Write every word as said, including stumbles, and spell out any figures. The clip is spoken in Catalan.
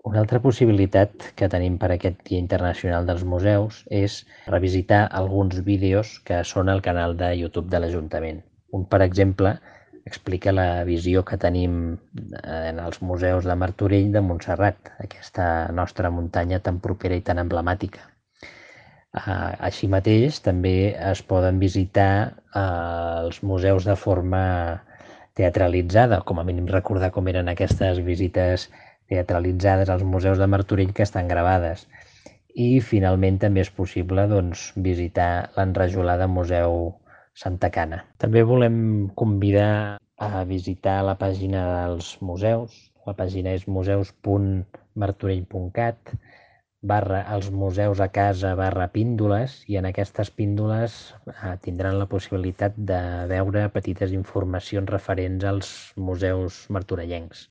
Una altra possibilitat que tenim per aquest Dia Internacional dels Museus és revisitar alguns vídeos que són al canal de YouTube de l'Ajuntament. Un, per exemple, explica la visió que tenim en els museus de Martorell de Montserrat, aquesta nostra muntanya tan propera i tan emblemàtica. Així mateix, també es poden visitar els museus de forma teatralitzada, com a mínim recordar com eren aquestes visites teatralitzades als museus de Martorell que estan gravades. I finalment també és possible doncs, visitar l'enrajolada Museu Santa Cana. També volem convidar a visitar la pàgina dels museus. La pàgina és museus punt martorell punt cat barra els museus a casa barra píndoles, i en aquestes píndoles eh, tindran la possibilitat de veure petites informacions referents als museus martorellencs.